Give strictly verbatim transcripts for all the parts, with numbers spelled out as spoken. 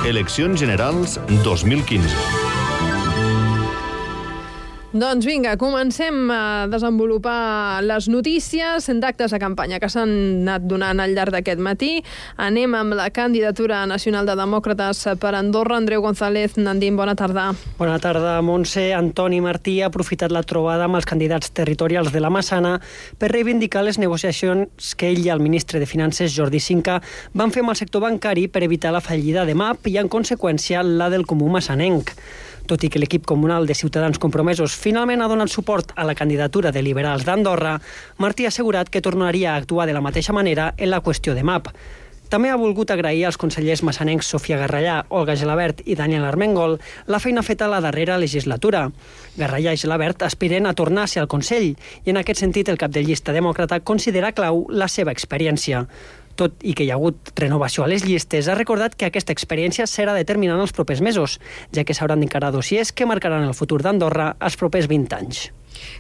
Eleccions generals dos mil quinze. Doncs vinga, comencem a desenvolupar les notícies d'actes de campanya que s'han anat donant al llarg d'aquest matí. Anem amb la candidatura nacional de Demòcrates per Andorra. Andreu González Nandín, bona tarda. Bona tarda, Montse. Antoni Martí ha aprofitat la trobada amb els candidats territorials de la Massana per reivindicar les negociacions que ell i el ministre de Finances, Jordi Cinca, van fer amb el sector bancari per evitar la fallida de M A P i, en conseqüència, la del Comú Massanenc. Tot i que l'equip comunal de Ciutadans Compromesos finalment ha donat suport a la candidatura de Liberals d'Andorra, Martí ha assegurat que tornaria a actuar de la mateixa manera en la qüestió de M A P. També ha volgut agrair als consellers massanencs Sofia Garrallà, Olga Gelabert i Daniel Armengol la feina feta a la darrera legislatura. Garrallà i Gelabert aspiren a tornar a ser al Consell i, en aquest sentit, el cap de llista demòcrata considera clau la seva experiència. Tot i que hi ha hagut renovació a les llistes, ha recordat que aquesta experiència serà determinant els propers mesos, ja que s'hauran d'encarar dossiers que marcaran el futur d'Andorra els propers vint anys.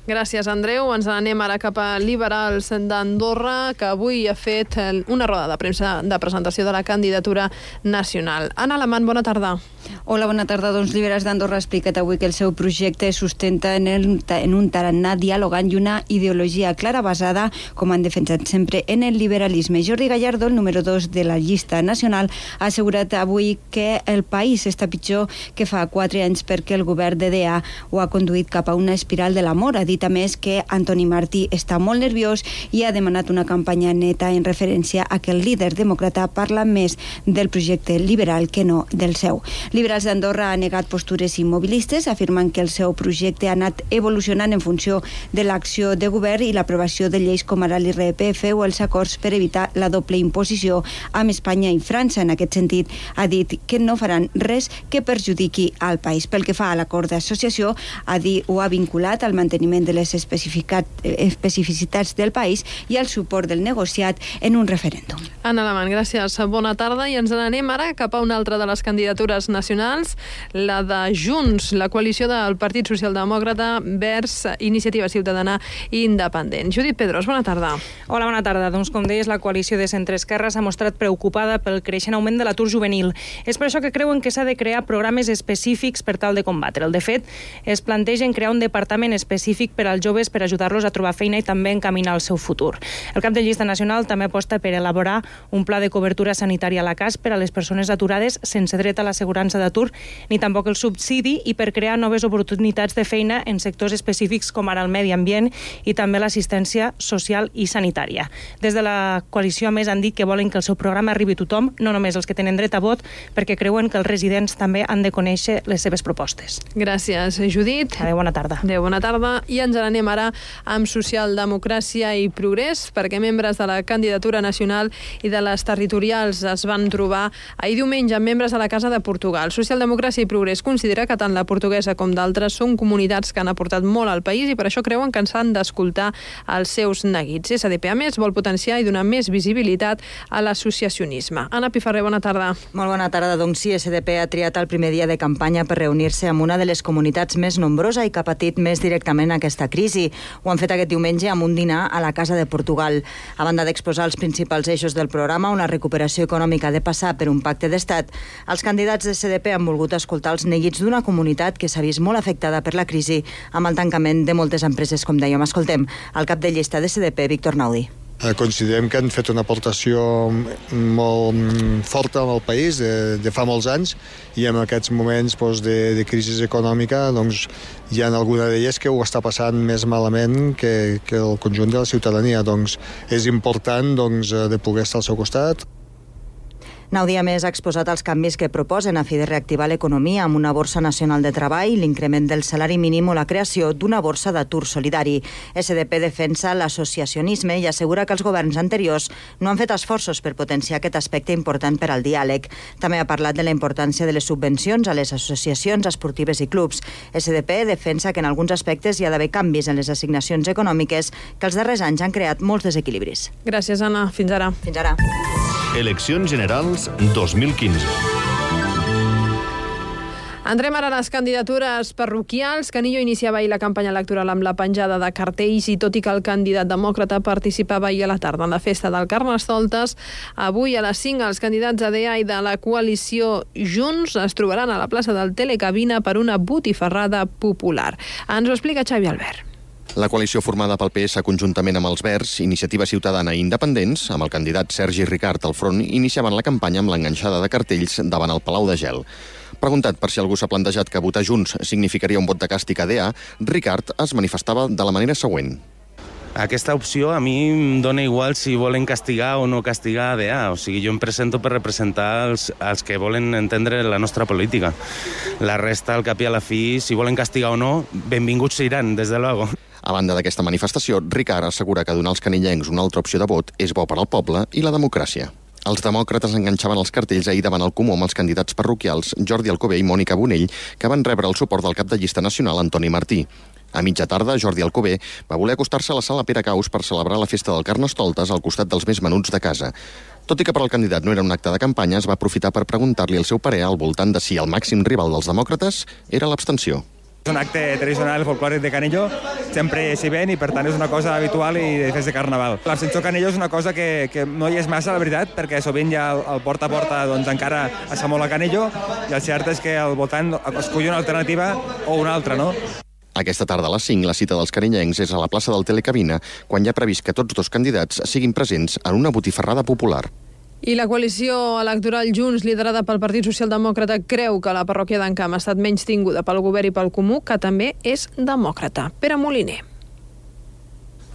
Gràcies, Andreu. Ens anem ara cap a Liberals d'Andorra, que avui ha fet una roda de premsa de presentació de la candidatura nacional. Anna Alamant, bona tarda. Hola, bona tarda. Doncs Liberals d'Andorra ha explicat avui que el seu projecte es sustenta en, el, en un tarannà dialogant i una ideologia clara basada, com han defensat sempre, en el liberalisme. Jordi Gallardo, el número dos de la llista nacional, ha assegurat avui que el país està pitjor que fa quatre anys perquè el govern de D A ho ha conduït cap a una espiral de l'amor. Ha dit a més que Antoni Martí està molt nerviós i ha demanat una campanya neta en referència a que el líder demòcrata parla més del projecte liberal que no del seu. Liberals d'Andorra ha negat postures immobilistes, afirmant que el seu projecte ha anat evolucionant en funció de l'acció de govern i l'aprovació de lleis com ara l'I R P F o els acords per evitar la doble imposició amb Espanya i França. En aquest sentit, ha dit que no faran res que perjudiqui al país. Pel que fa a l'acord d'associació, ha dit o ha vinculat al manteniment de les especificitats del país i el suport del negociat en un referèndum. Anna Alamant, gràcies. Bona tarda. I ens n'anem ara cap a una altra de les candidatures nacionals, la de Junts, la coalició del Partit Socialdemòcrata vers Iniciativa Ciutadana Independent. Judit Pedros, bona tarda. Hola, bona tarda. Doncs, com deies, la coalició de centre-esquerra s'ha mostrat preocupada pel creixent augment de l'atur juvenil. És per això que creuen que s'ha de crear programes específics per tal de combatre'l. De fet, es plantegen crear un departament específic per als joves per ajudar-los a trobar feina i també encaminar el seu futur. El cap de llista nacional també aposta per elaborar un pla de cobertura sanitària a la C A S per a les persones aturades sense dret a l'assegurança d'atur ni tampoc el subsidi i per crear noves oportunitats de feina en sectors específics com ara el medi ambient i també l'assistència social i sanitària. Des de la coalició, a més, han dit que volen que el seu programa arribi a tothom, no només els que tenen dret a vot, perquè creuen que els residents també han de conèixer les seves propostes. Gràcies, Judit. Adéu, bona tarda. Adéu, bona tarda. I ens n'anem ara amb Socialdemocràcia i Progrés, perquè membres de la candidatura nacional i de les territorials es van trobar ahir diumenge amb membres de la Casa de Portugal. Socialdemocràcia i Progrés considera que tant la portuguesa com d'altres són comunitats que han aportat molt al país i per això creuen que s'han d'escoltar els seus neguits. S D P, a més, vol potenciar i donar més visibilitat a l'associacionisme. Anna Piferrer, bona tarda. Molt bona tarda. Doncs sí, S D P ha triat el primer dia de campanya per reunir-se amb una de les comunitats més nombrosa i que ha patit més directament aquesta crisi. Ho han fet aquest diumenge amb un dinar a la Casa de Portugal. A banda d'exposar els principals eixos del programa, on la recuperació econòmica ha de passar per un pacte d'estat, els candidats de S D P han volgut escoltar els neguits d'una comunitat que s'ha vist molt afectada per la crisi amb el tancament de moltes empreses, com dèiem. Escoltem el cap de llista de S D P, Víctor Naudi. Considerem que han fet una aportació molt forta al país de, de fa molts anys i en aquests moments doncs, de, de crisi econòmica doncs, hi ha alguna d'elles que ho està passant més malament que, que el conjunt de la ciutadania. Doncs, és important doncs, de poder estar al seu costat. Naudi, a més, ha exposat els canvis que proposen a fi de reactivar l'economia amb una borsa nacional de treball, l'increment del salari mínim o la creació d'una borsa d'atur solidari. S D P defensa l'associacionisme i assegura que els governs anteriors no han fet esforços per potenciar aquest aspecte important per al diàleg. També ha parlat de la importància de les subvencions a les associacions esportives i clubs. S D P defensa que en alguns aspectes hi ha d'haver canvis en les assignacions econòmiques que els darrers anys han creat molts desequilibris. Gràcies, Anna. Fins ara. Fins ara. Eleccions generals dos mil quinze. Entrem ara a les candidatures parroquials. Canillo iniciava ahir la campanya electoral amb la penjada de cartells i tot i que el candidat demòcrata participava ahir a la tarda en la festa del Carnestoltes, avui a les cinc els candidats A D A i de la coalició Junts es trobaran a la plaça del Telecabina per una botifarrada popular. Ens ho explica Xavi Albert. La coalició formada pel P S conjuntament amb els Verds, Iniciativa Ciutadana i Independents, amb el candidat Sergi Ricart al front, iniciaven la campanya amb l'enganxada de cartells davant el Palau de Gel. Preguntat per si algú s'ha plantejat que votar Junts significaria un vot de càstig a A D A, Ricart es manifestava de la manera següent. Aquesta opció a mi em dona igual si volen castigar o no castigar A D A. O sigui, jo em presento per representar els, els que volen entendre la nostra política. La resta, al cap i a la fi, si volen castigar o no, benvinguts seran, des de luego. A banda d'aquesta manifestació, Ricart assegura que donar als canillencs una altra opció de vot és bo per al poble i la democràcia. Els demòcrates enganxaven els cartells ahir davant el Comú amb els candidats parroquials Jordi Alcover i Mònica Bonell, que van rebre el suport del cap de llista nacional Antoni Martí. A mitja tarda, Jordi Alcover va voler acostar-se a la sala Pere Caus per celebrar la festa del Carnestoltes al costat dels més menuts de casa. Tot i que per al candidat no era un acte de campanya, es va aprofitar per preguntar-li el seu parer al voltant de si el màxim rival dels demòcrates era l'abstenció. És un acte tradicional folclòric de Canillo, sempre s'hi ven i per tant és una cosa habitual i de fes de carnaval. L'abstenció Canillo és una cosa que, que no hi és massa, la veritat, perquè sovint ja el, el porta a porta doncs, encara es fa molt a Canillo i el cert és que el votant escull una alternativa o una altra, no? Aquesta tarda a les cinc, la cita dels canillencs és a la plaça del Telecabina, quan hi ha previst que tots dos candidats siguin presents en una botifarrada popular. I la coalició electoral Junts, liderada pel Partit Socialdemòcrata, creu que la parròquia d'Encamp ha estat menys tinguda pel govern i pel Comú, que també és demòcrata. Pere Moliner.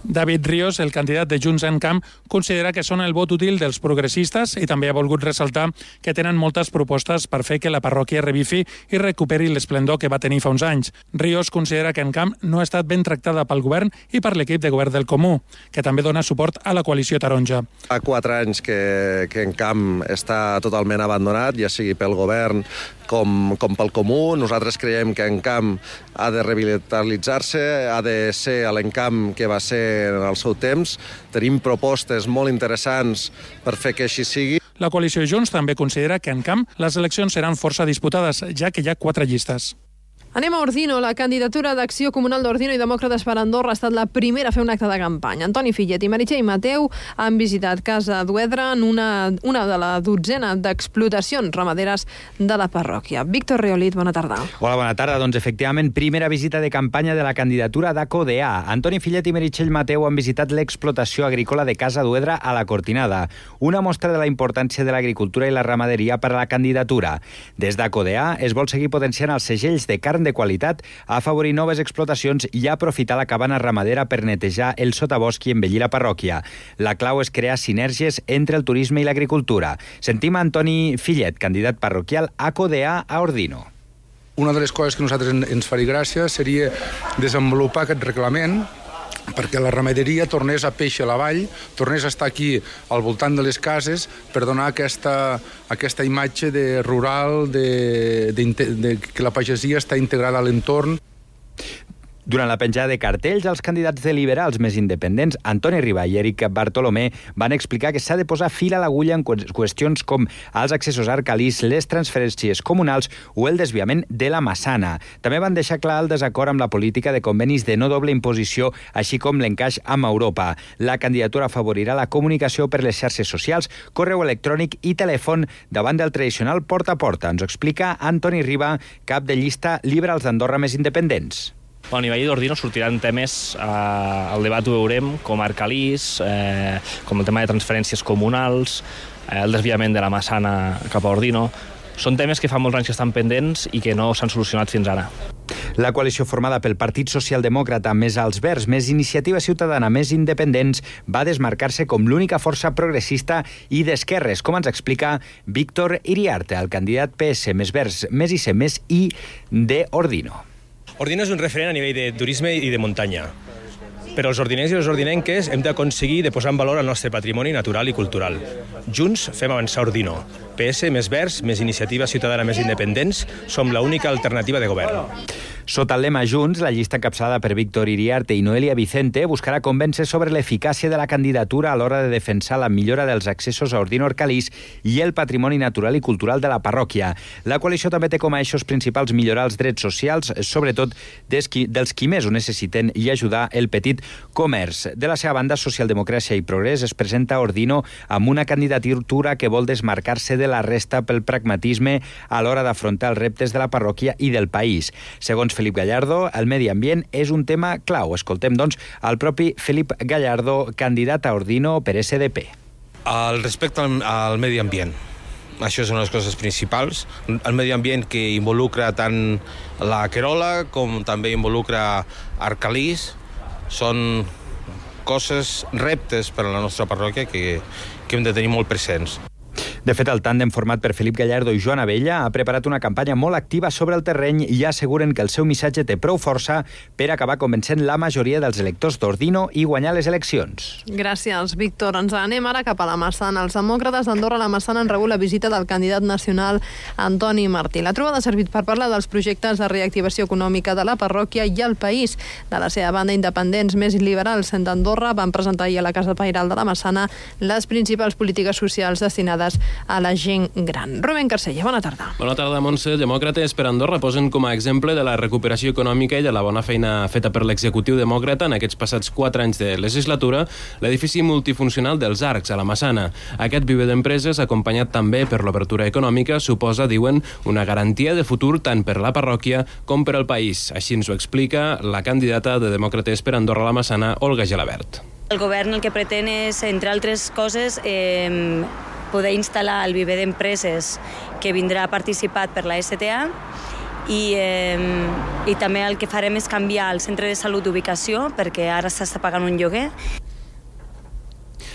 David Ríos, el candidat de Junts Encamp, considera que són el vot útil dels progressistes i també ha volgut ressaltar que tenen moltes propostes per fer que la parròquia revifi i recuperi l'esplendor que va tenir fa uns anys. Ríos considera que Encamp no ha estat ben tractada pel govern i per l'equip de govern del Comú, que també dona suport a la coalició taronja. Fa quatre anys que, que Encamp està totalment abandonat, ja sigui pel govern com, com pel Comú. Nosaltres creiem que Encamp ha de revitalitzar-se, ha de ser l'Encamp que va ser en el seu temps. Tenim propostes molt interessants per fer que així sigui. La coalició Junts també considera que en Encamp les eleccions seran força disputades, ja que hi ha quatre llistes. Anem a Ordino. La candidatura d'Acció Comunal d'Ordino i Demòcrates per Andorra ha estat la primera a fer un acte de campanya. Antoni Fillet i Meritxell Mateu han visitat Casa d'Uedre en una, una de la dotzena d'explotacions ramaderes de la parròquia. Víctor Reolit, bona tarda. Hola, bona tarda. Doncs efectivament, primera visita de campanya de la candidatura d'A C O D A. Antoni Fillet i Meritxell Mateu han visitat l'explotació agrícola de Casa d'Uedre a la Cortinada, una mostra de la importància de l'agricultura i la ramaderia per a la candidatura. Des d'A C O D A es vol seguir potenciant els segells de carn de qualitat, afavorir noves explotacions i aprofitar la cabana ramadera per netejar el sotabosc i embellir la parròquia. La clau és crear sinergies entre el turisme i l'agricultura. Sentim a Antoni Fillet, candidat parroquial A C O D A a Ordino. Una de les coses que a nosaltres ens faria gràcia seria desenvolupar aquest reglament perquè la ramaderia tornés a peix a la vall, tornés a estar aquí al voltant de les cases per donar aquesta, aquesta imatge de rural, de, de, de que la pagesia està integrada a l'entorn. Durant la penjada de cartells, els candidats de liberals més independents, Antoni Riba i Eric Bartolomé, van explicar que s'ha de posar fil a l'agulla en qüestions com els accessos arcalís, les transferències comunals o el desviament de la Massana. També van deixar clar el desacord amb la política de convenis de no doble imposició, així com l'encaix amb Europa. La candidatura afavorirà la comunicació per les xarxes socials, correu electrònic i telèfon davant del tradicional porta a porta. Ens ho explica Antoni Riba, cap de llista Liberals d'Andorra més independents. A nivell d'Ordino sortiran temes, eh, al debat ho veurem, com Arcalís, eh, com el tema de transferències comunals, eh, el desviament de la Massana cap a Ordino. Són temes que fa molts anys que estan pendents i que no s'han solucionat fins ara. La coalició formada pel Partit Socialdemòcrata, més els Verds, més Iniciativa Ciutadana, més Independents, va desmarcar-se com l'única força progressista i d'esquerres, com ens explica Víctor Iriarte, el candidat P S, més Verds, més I C, més I de Ordino. Ordino és un referent a nivell de turisme i de muntanya. Però els ordinencs i les ordinenques hem d'aconseguir de posar en valor el nostre patrimoni natural i cultural. Junts fem avançar Ordino. P S, més Verds, més Iniciativa Ciutadana, més Independents, som l'única alternativa de govern. Sota el lema Junts, la llista encapçalada per Víctor Iriarte i Noelia Vicente buscarà convèncer sobre l'eficàcia de la candidatura a l'hora de defensar la millora dels accessos a Ordino Orcalís i el patrimoni natural i cultural de la parròquia. La coalició també té com a eixos principals millorar els drets socials, sobretot dels qui, dels qui més ho necessiten, i ajudar el petit comerç. De la seva banda, Socialdemocràcia i Progrés es presenta a Ordino amb una candidatura que vol desmarcar-se de la resta pel pragmatisme a l'hora d'afrontar els reptes de la parròquia i del país. Segons Felip Gallardo, el medi ambient és un tema clau. Escoltem, doncs, el propi Felip Gallardo, candidat a Ordino per S D P. El respecte al, al medi ambient. Això és una de les coses principals. El medi ambient que involucra tant la Querola com també involucra Arcalís són coses, reptes per a la nostra parròquia que, que hem de tenir molt presents. De fet, el tàndem format per Felip Gallardo i Joan Abella ha preparat una campanya molt activa sobre el terreny i asseguren que el seu missatge té prou força per acabar convencent la majoria dels electors d'Ordino i guanyar les eleccions. Gràcies, Víctor. Ens anem ara cap a la Massana. Els demòcrates d'Andorra a la Massana han rebut la visita del candidat nacional Antoni Martí. La trobada ha servit per parlar dels projectes de reactivació econòmica de la parròquia i el país. De la seva banda, independents més liberals d'Andorra van presentar ahir a la Casa Pairal de la Massana les principals polítiques socials destinades a la gent gran. Rubén Carcella, bona tarda. Bona tarda, Montse. Demòcrates per Andorra posen com a exemple de la recuperació econòmica i de la bona feina feta per l'executiu demòcrata en aquests passats quatre anys de legislatura l'edifici multifuncional dels Arcs, a la Massana. Aquest viver d'empreses, acompanyat també per l'obertura econòmica, suposa, diuen, una garantia de futur tant per la parròquia com per al país. Així ens ho explica la candidata de Demòcrates per Andorra a la Massana, Olga Gelabert. El govern el que pretén és, entre altres coses, eh, poder instal·lar el viver d'empreses que vindrà participat per la S T A i, eh, i també el que farem és canviar el centre de salut d'ubicació perquè ara s'està pagant un lloguer.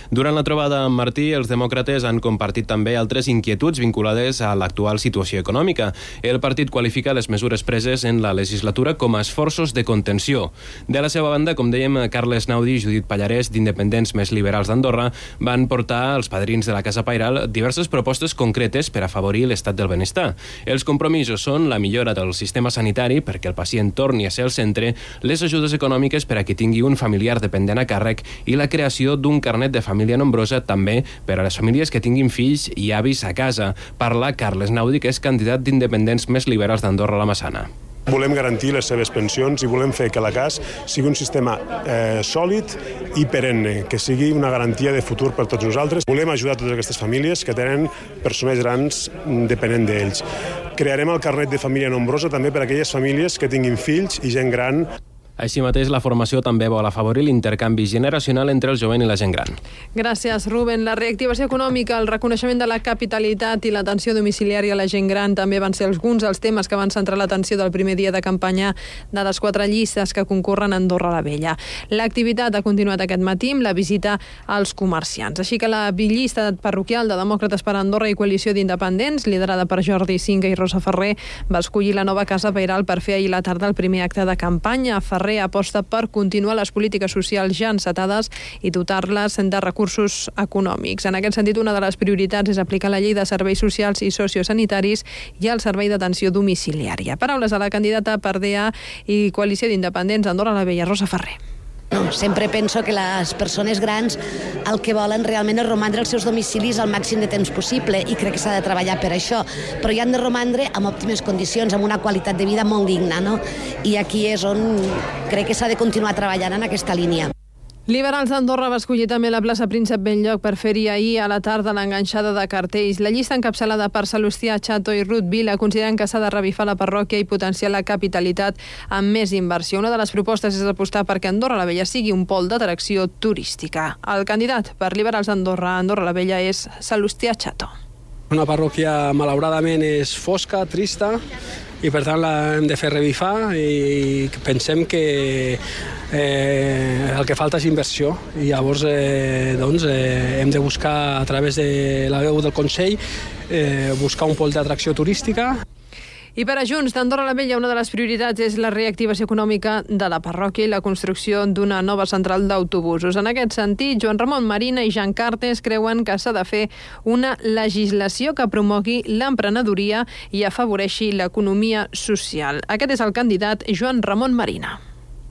Durant la trobada amb Martí, els demòcrates han compartit també altres inquietuds vinculades a l'actual situació econòmica. El partit qualifica les mesures preses en la legislatura com a esforços de contenció. De la seva banda, com dèiem, Carles Naudi i Judit Pallarès, d'Independents Més Liberals d'Andorra, van portar als padrins de la Casa Pairal diverses propostes concretes per afavorir l'estat del benestar. Els compromisos són la millora del sistema sanitari perquè el pacient torni a ser el centre, les ajudes econòmiques per a qui tingui un familiar dependent a càrrec i la creació d'un carnet de família família nombrosa també per a les famílies que tinguin fills i avis a casa. Parla Carles Naudi, que és candidat d'Independents Més Liberals d'Andorra a la Massana. Volem garantir les seves pensions i volem fer que la C A S sigui un sistema eh, sòlid i perenne, que sigui una garantia de futur per tots nosaltres. Volem ajudar totes aquestes famílies que tenen persones grans depenent d'ells. Crearem el carnet de família nombrosa també per a aquelles famílies que tinguin fills i gent gran. Així mateix, la formació també vol afavorir l'intercanvi generacional entre el jovent i la gent gran. Gràcies, Rubén. La reactivació econòmica, el reconeixement de la capitalitat i l'atenció domiciliària a la gent gran també van ser alguns dels temes que van centrar l'atenció del primer dia de campanya de les quatre llistes que concorren a Andorra la Vella. L'activitat ha continuat aquest matí amb la visita als comerciants. Així que la llista parroquial de Demòcrates per Andorra i Coalició d'Independents, liderada per Jordi Cinca i Rosa Ferrer, va escollir la nova Casa Pairal per fer ahir la tarda el primer acte de campanya. Ferrer aposta per continuar les polítiques socials ja encetades i dotar-les de recursos econòmics. En aquest sentit, una de les prioritats és aplicar la llei de serveis socials i sociosanitaris i el servei d'atenció domiciliària. Paraules de la candidata per D A i Coalició d'Independents Andorra la Vella, Rosa Ferrer. No, sempre penso que les persones grans el que volen realment és romandre als seus domicilis al màxim de temps possible i crec que s'ha de treballar per això, però hi han de romandre amb òptimes condicions, amb una qualitat de vida molt digna, no? I aquí és on crec que s'ha de continuar treballant en aquesta línia. Liberals d'Andorra va escollir també la plaça Príncep Benlloc per fer-hi ahir a la tarda l'enganxada de cartells. La llista encapçalada per Salustià Chato i Ruth Vila consideren que s'ha de revifar la parròquia i potenciar la capitalitat amb més inversió. Una de les propostes és apostar perquè Andorra la Vella sigui un pol d'atracció turística. El candidat per Liberals d'Andorra, Andorra la Vella, és Salustià Chato. Una parròquia malauradament és fosca, trista, i per tant l'hem de fer revifar i pensem que eh, el que falta és inversió i llavors eh, doncs, eh, hem de buscar a través de la veu del Consell eh, buscar un pol d'atracció turística. I per a Junts d'Andorra la Vella, una de les prioritats és la reactivació econòmica de la parròquia i la construcció d'una nova central d'autobusos. En aquest sentit, Joan Ramon Marina i Jean Cartes creuen que s'ha de fer una legislació que promogui l'emprenedoria i afavoreixi l'economia social. Aquest és el candidat Joan Ramon Marina.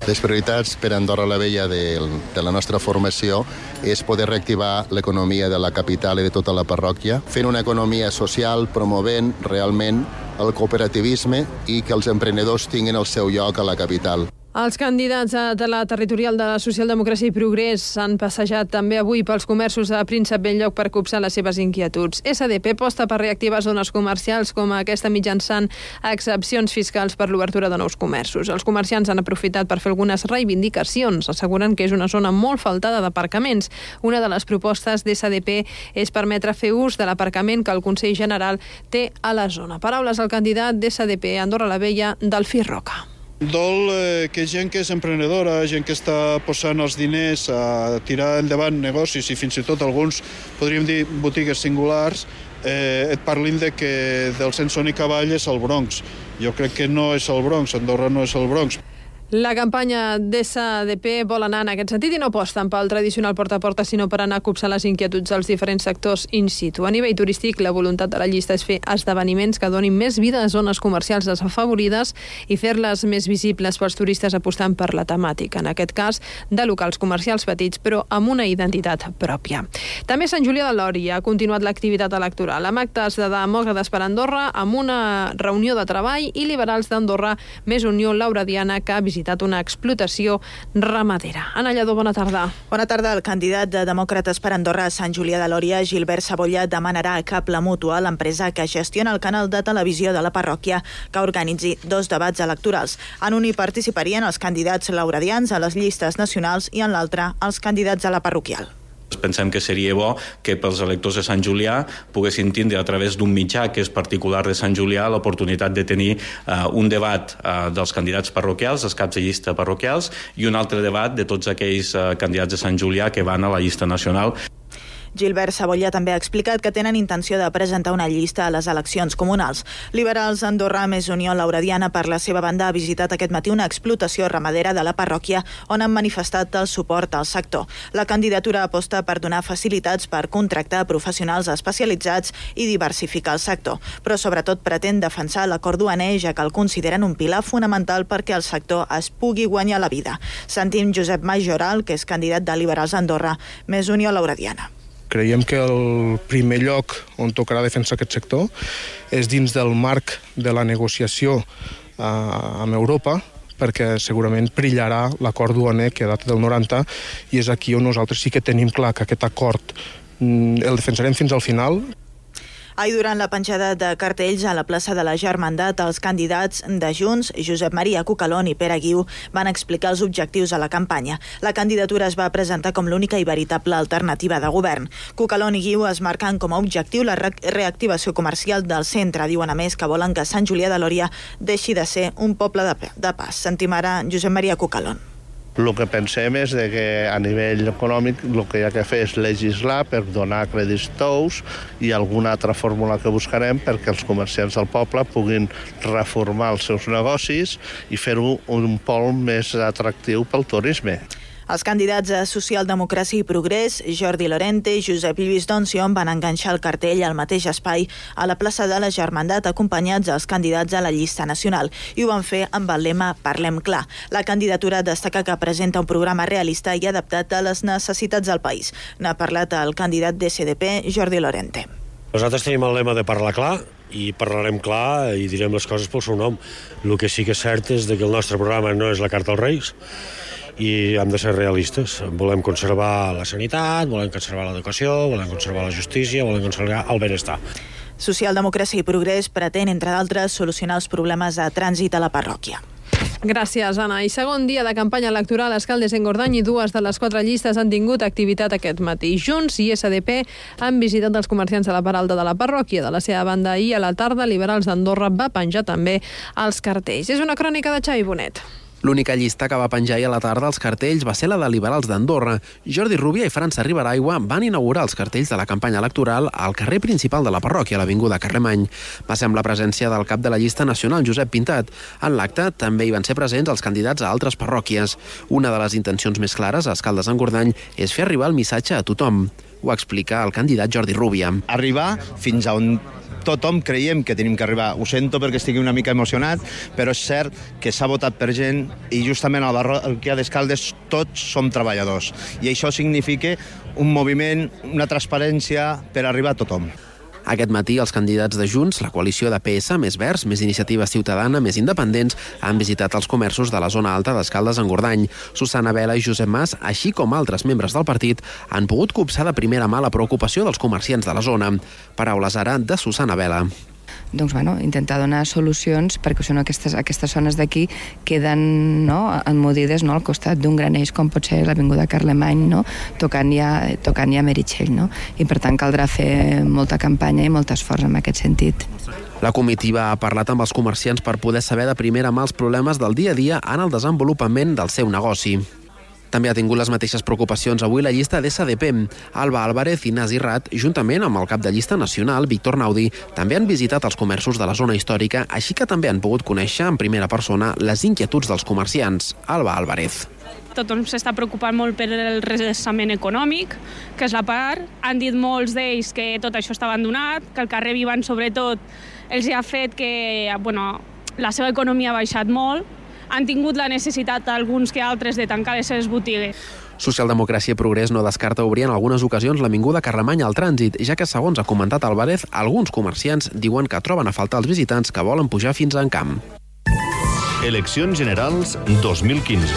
Les prioritats per a Andorra la Vella de, de la nostra formació és poder reactivar l'economia de la capital i de tota la parròquia, fent una economia social, promovent realment el cooperativisme i que els emprenedors tinguin el seu lloc a la capital. Els candidats de la territorial de la Socialdemocràcia i Progrés s'han passejat també avui pels comerços de Príncep Bell-lloc per copsar les seves inquietuds. S D P aposta per reactivar zones comercials com aquesta mitjançant excepcions fiscals per l'obertura de nous comerços. Els comerciants han aprofitat per fer algunes reivindicacions, asseguren que és una zona molt faltada d'aparcaments. Una de les propostes d'S D P és permetre fer ús de l'aparcament que el Consell General té a la zona. Paraules al candidat d'S D P Andorra la Vella, Delfí Roca. Dol eh, que gent que és emprenedora, gent que està posant els diners a tirar endavant negocis i fins i tot alguns, podríem dir, botigues singulars, eh, et parlin de que del sense ni cavall és el Bronx. Jo crec que no és el Bronx, Andorra no és el Bronx. La campanya d'S D P vol anar en aquest sentit i no aposten pel tradicional porta a porta, sinó per anar a copsar les inquietuds dels diferents sectors in situ. A nivell turístic, la voluntat de la llista és fer esdeveniments que donin més vida a zones comercials desafavorides i fer-les més visibles pels turistes apostant per la temàtica, en aquest cas de locals comercials petits, però amb una identitat pròpia. També Sant Julià de Lòria ha continuat l'activitat electoral, amb actes de demòcrates per Andorra, amb una reunió de treball i liberals d'Andorra més Unió Lauradiana que ha visitat visitat una explotació ramadera. Anna Lledó, bona tarda. Bona tarda. El candidat de Demòcrates per Andorra a Sant Julià de Lòria, Gilbert Sabolla, demanarà a Cap la Mútua, l'empresa que gestiona el canal de televisió de la parròquia, que organitzi dos debats electorals. En un hi participarien els candidats lauradians a les llistes nacionals i en l'altre els candidats a la parroquial. Pensem que seria bo que pels electors de Sant Julià poguessin tindre a través d'un mitjà que és particular de Sant Julià l'oportunitat de tenir uh, un debat uh, dels candidats parroquials, dels caps de llista parroquials, i un altre debat de tots aquells uh, candidats de Sant Julià que van a la llista nacional. Gilbert Sabolla també ha explicat que tenen intenció de presentar una llista a les eleccions comunals. Liberals Andorra més Unió Lauradiana, per la seva banda, ha visitat aquest matí una explotació ramadera de la parròquia on han manifestat el suport al sector. La candidatura aposta per donar facilitats per contractar professionals especialitzats i diversificar el sector, però sobretot pretén defensar l'acord duaner, ja que el consideren un pilar fonamental perquè el sector es pugui guanyar la vida. Sentim Josep Majoral, que és candidat de Liberals Andorra més Unió Lauradiana. Creiem que el primer lloc on tocarà defensar aquest sector és dins del marc de la negociació eh, amb Europa, perquè segurament perillarà l'acord duaner que data del noranta, i és aquí on nosaltres sí que tenim clar que aquest acord mm, el defensarem fins al final. Ahir, durant la penjada de cartells a la plaça de la Germandat, els candidats de Junts, Josep Maria Cucalón i Pere Guiu, van explicar els objectius a la campanya. La candidatura es va presentar com l'única i veritable alternativa de govern. Cucalón i Guiu es marquen com a objectiu la re reactivació comercial del centre. Diuen a més que volen que Sant Julià de Lòria deixi de ser un poble de, de pas. Sentim ara Josep Maria Cucalón. El que pensem és que a nivell econòmic el que hi ha que fer és legislar per donar crèdits tous i alguna altra fórmula que buscarem perquè els comerciants del poble puguin reformar els seus negocis i fer-ho un pol més atractiu pel turisme. Els candidats a Socialdemocràcia i Progrés, Jordi Lorente i Josep Lluís Doncion, van enganxar el cartell al mateix espai a la plaça de la Germandat, acompanyats dels candidats a la llista nacional, i ho van fer amb el lema Parlem clar. La candidatura destaca que presenta un programa realista i adaptat a les necessitats del país. N'ha parlat el candidat d'S D P, Jordi Lorente. Nosaltres tenim el lema de parlar clar i parlarem clar i direm les coses pel seu nom. El que sí que és cert és que el nostre programa no és la carta als Reis, i hem de ser realistes. Volem conservar la sanitat, volem conservar l'educació, volem conservar la justícia, volem conservar el benestar. Socialdemocràcia i Progrés pretén, entre d'altres, solucionar els problemes de trànsit a la parròquia. Gràcies, Anna. I segon dia de campanya electoral, Escaldes i Engordany, i dues de les quatre llistes han tingut activitat aquest matí. Junts i S D P han visitat els comerciants de la part alta de la parròquia. De la seva banda, ahir a la tarda, Liberals d'Andorra va penjar també els cartells. És una crònica de Xavi Bonet. L'única llista que va penjar ahir a la tarda als cartells va ser la de liberals d'Andorra. Jordi Rubia i França Riberaigua van inaugurar els cartells de la campanya electoral al carrer principal de la parròquia, a l'Avinguda Carlemany. Va ser amb la presència del cap de la llista nacional, Josep Pintat. En l'acte també hi van ser presents els candidats a altres parròquies. Una de les intencions més clares a Escaldes-Engordany és fer arribar el missatge a tothom. Ho explica el candidat Jordi Rubia. Arribar fins a on tothom creiem que tenim que arribar. Ho sento perquè estigui una mica emocionat, però és cert que s'ha votat per gent i justament a la parròquia d'Escaldes tots som treballadors. I això significa un moviment, una transparència per arribar a tothom. Aquest matí els candidats de Junts, la coalició de P S, més Verds, més Iniciativa Ciutadana, més Independents, han visitat els comerços de la zona alta d'Escaldes-Engordany. Susana Vela i Josep Mas, així com altres membres del partit, han pogut copsar de primera mà la preocupació dels comerciants de la zona. Paraules ara de Susana Vela. Doncs, bueno, intentar donar solucions perquè són aquestes, aquestes zones d'aquí queden no, enmodides no, al costat d'un gran eix com pot ser l'Avinguda Carlemany, no, tocant ja, tocant ja Meritxell. No? I per tant caldrà fer molta campanya i molt esforç en aquest sentit. La comitiva ha parlat amb els comerciants per poder saber de primera mà els problemes del dia a dia en el desenvolupament del seu negoci. També ha tingut les mateixes preocupacions avui la llista d'S D P. Alba Álvarez i Nasi Rat, juntament amb el cap de llista nacional, Víctor Naudi, també han visitat els comerços de la zona històrica, així que també han pogut conèixer en primera persona les inquietuds dels comerciants. Alba Álvarez. Tothom s'està preocupant molt per el redreçament econòmic, que és la part. Han dit molts d'ells que tot això està abandonat, que el carrer Vivant, sobretot, els ha fet que bueno, la seva economia ha baixat molt. Han tingut la necessitat, alguns que altres, de tancar les seves botigues. Socialdemocràcia i Progrés no descarta obrir en algunes ocasions l'Avinguda Carlemany al trànsit, ja que, segons ha comentat Álvarez, alguns comerciants diuen que troben a faltar els visitants que volen pujar fins a Encamp. Eleccions Generals dos mil quinze.